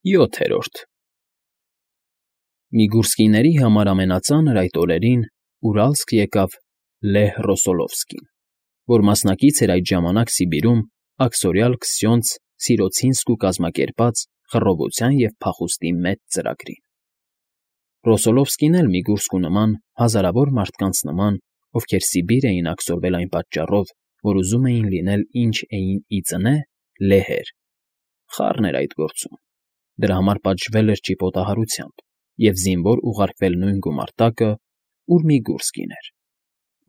7-րդ Միգուրսկիների համար ամենածանր այդ օրերին ուրալսկ եկավ Լեհ Ռոսոլովսկին, որ մասնակից էր այդ ժամանակ Սիբիրում աքսորյալ Քսյոնց Սիրոցինսկու կազմակերպած խռովության և փախուստի մեծ ծրագրին։ Ռոսոլովսկին էլ միգուրսկու նման հազարավոր մարդկանց նման, ովքեր Սիբիր էին աքսորվել այն պատճառով, որ ուզում էին լինել ինչ էին ի ծնե լեհեր, խառն էր այդ գործում, դրա համար պատժվել էր ճիպոտահարությամբ և զինվոր ուղարկվել նույն գումարտակը, ուր Միգուրսկին էր։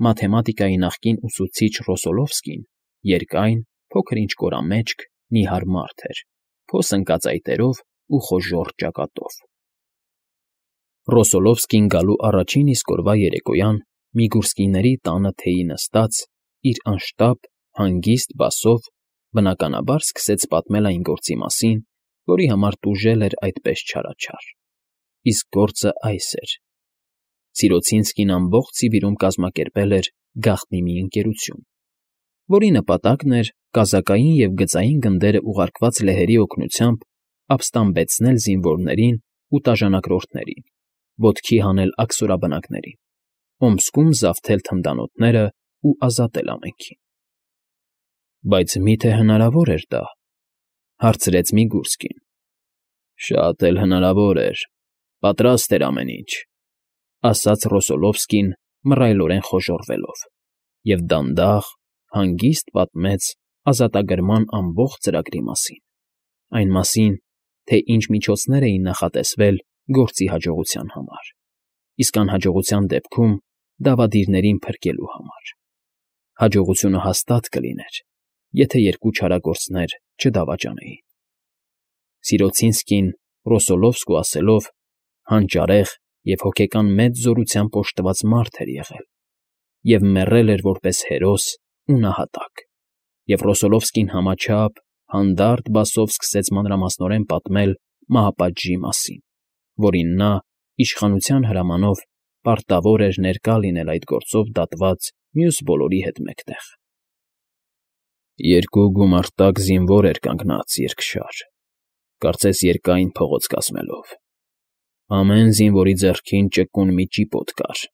Մաթեմատիկայի նախկին ուսուցիչ Ռոսոլովսկին երկայն, փոքր-ինչ կորամեջք, նիհար մարդ էր, փոս ընկած այտերով ու խոժոռ ճակատով։ Ռոսոլովսկին գալու առաջին իսկ օրվա երեկոյան Միգուրսկիների տանը թեյի նստած, իր անշտապ, հանգիստ բասով, բնականաբար սկսեց պատմել այն գործի մասին, որի համար տուժել էր այդպես չարաչար։ Իսկ գործը այս էր. Սիրոցինսկին ամբողջ Սիբիրում կազմակերպել էր գաղտնի մի ընկերություն, որի նպատակն էր կազակային և գծային գնդերը ուղարկված լեհերի օգնությամբ ապստամբեցնել զինվորներին ու տաժանակրորդներին, ոտքի հանել աքսորաբնակներին, Օմսկում զավթել թնդանոթներն ու ազատել ամենքին։ ֊ Բայց մի՞թե հնարավոր էր դա,֊ հարցրեց Միգուրսկին։ ֊ Շատ էլ հնարավոր էր, պատրաստ էր ամեն ինչ,֊ ասաց Ռոսոլովսկին մռայլորեն խոժոռվելով, և դանդաղ, հանգիստ պատմեց ազատագրման ամբողջ ծրագրի մասին, այն մասին, թե ինչ միջոցներ էին նախատեսվել գործի հաջողության համար, իսկ անհաջողության դեպքում դավադիրներին փրկելու համար։ Հաջողությունը հաստատ կլիներ, եթե երկու չարագործներ չդավաճանեին։ Սիրոցինսկին, Ռոսոլովսկու ասելով, հանճարեղ և հոգեկան մեծ զորությամբ օժտված մարդ էր եղել և մեռել էր որպես հերոս ու նահատակ, և Ռոսոլովսկին համաչափ, հանդարտ բասով սկսեց մանրամասնորեն պատմել մահապատժի մասին, որին նա, իշխանության հրամանով, պարտավոր էր ներկա լինել այդ գործով դատված մյուս բոլորի հետ մեկտեղ։ Երկու գումարտակ զինվոր էր կանգնած երկշար, կարծես երկայն փողոց կազմելով։ Ամեն զինվորի ձեռքին ճկուն մի ճիպոտ կար,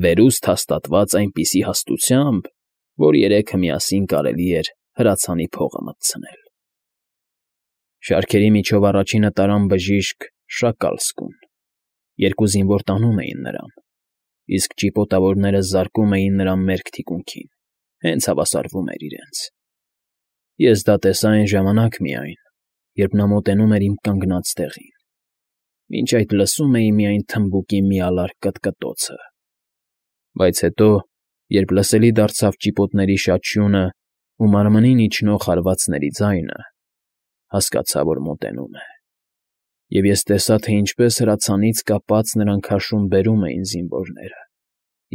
վերուստ հաստատված այնպիսի հաստությամբ, որ երեքը միասին կարելի էր հրացանի փողը մտցնել։ Շարքերի միջով առաջինը տարան բժիշկ Շակալսկուն, երկու զինվոր տանում էին նրան, իսկ ճիպոտավորները զարկում էին նրան մերկ թիկունքին, հենց հավասարվում էր իրենց։ Ես դա տեսա այն ժամանակ միայն, երբ նա մոտենում էր իմ կանգնած տեղին, մինչ այդ լսում էի միայն թմբուկի մի ալար կտկտոցը, բայց հետո, երբ լսելի դարձավ ճիպոտների շաչյունը ու մարմնին իջնող հարվածների ձայնը, հասկացա, որ մոտենում է, և ես տեսա, թե ինչպես հրացանից կապած նրան քաշում բերում էին զինվորները,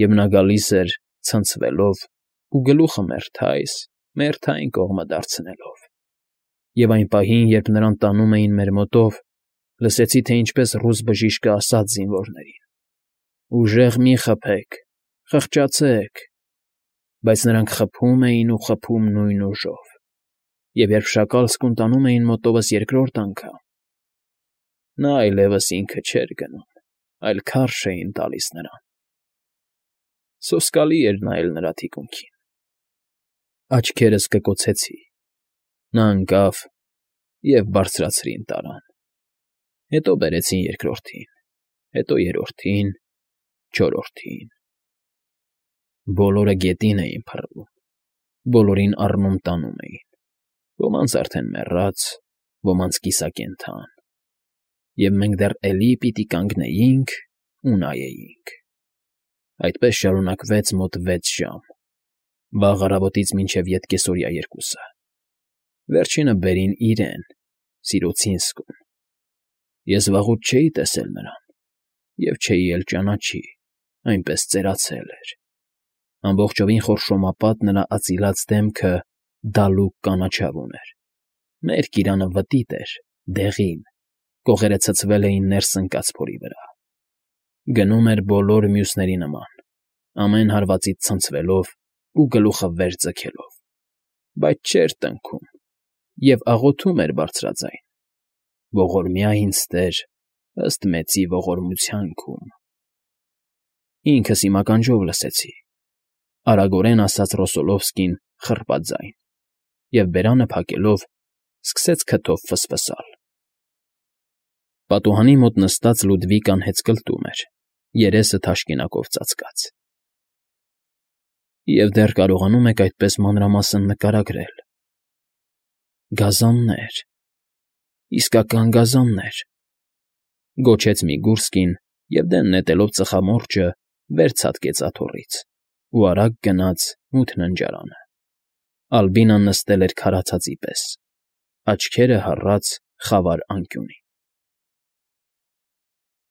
և նա գալիս էր ցնցվելով ու գլուխը մերթային կողմը դարձնելով։ Եվ այն պահին, երբ նրան տանում էին մեր մոտով, լսեցի, թե ինչպես ռուս բժիշկը ասաց զինվորներին. «Ուժեղ մի խփեք, խղճացեք», բայց նրանք խփում էին ու խփում նույն ուժով, և երբ Շակալսկուն տանում էին մոտովս երկրորդ անգամ, նա այլևս ինքը չէր գնում, այլ քարշ էին տալիս նրան։ Սոսկալի էր նայել նրա թիկունքին։ Աչքերս կկոցեցի։ Նա ընկավ և բարձրացրին տարան։ Հետո բերեցին երկրորդին, հետո երրորդին, չորրորդին։ Բոլորը գետին էին փռվում, բոլորին առնում տանում էին, ոմանց արդեն մեռած, ոմանց կիսակենդան, և մենք դեռ էլի պիտի կանգնեինք ու նայեինք։ Այդպես շարունակվեց մոտ 6 ժամ, վաղ առավոտից մինչև ետկեսօրյա 2-ը։ Վերջինը բերին իրեն, Սիրոցինսկուն։ Ես վաղուց չէի տեսել նրան և չէի էլ ճանաչի, այնպես ծերացել էր։ Ամբողջովին խորշոմապատ նրա අծիլած դեմքը դալուկ կանաչավ ուներ, մերկ իրանը վտիտ էր, դեղին, կողերը ցցվել էին ներս ընկած փորի վրա։ Գնում էր բոլոր մյուսների նման, ամեն հարվածից ցնցվելով ու գլուխը վեր ձգելով, բայց չէր տնքում և աղոթում էր բարձրաձայն։ ողորմյա ինձ Տեր, ըստ մեծի ողորմության քում։ Ինքս իմ ականջով լսեցի, արագորեն ասաց Ռոսոլովսկին խռպած ձայն, և բերանը փակելով սկսեց քթով ֆսֆսալ։ Պատուհանի մոտ նստած Լուդվիկան հեծկլտում էր, երեսը թաշկինակով ծածկած։ Եվ դեռ կարողանում եք այդպես մանրամասն նկարագրել… Գազաններ, իսկական գազաններ…֊ գոչեց Միգուրսկին և դեն նետելով ծխամորճը, վեր ցատկեց աթոռից ու արագ գնաց մութ ննջարանը։ Ալբինան նստել էր քարացածի պես, աչքերը հառած խավար անկյունի։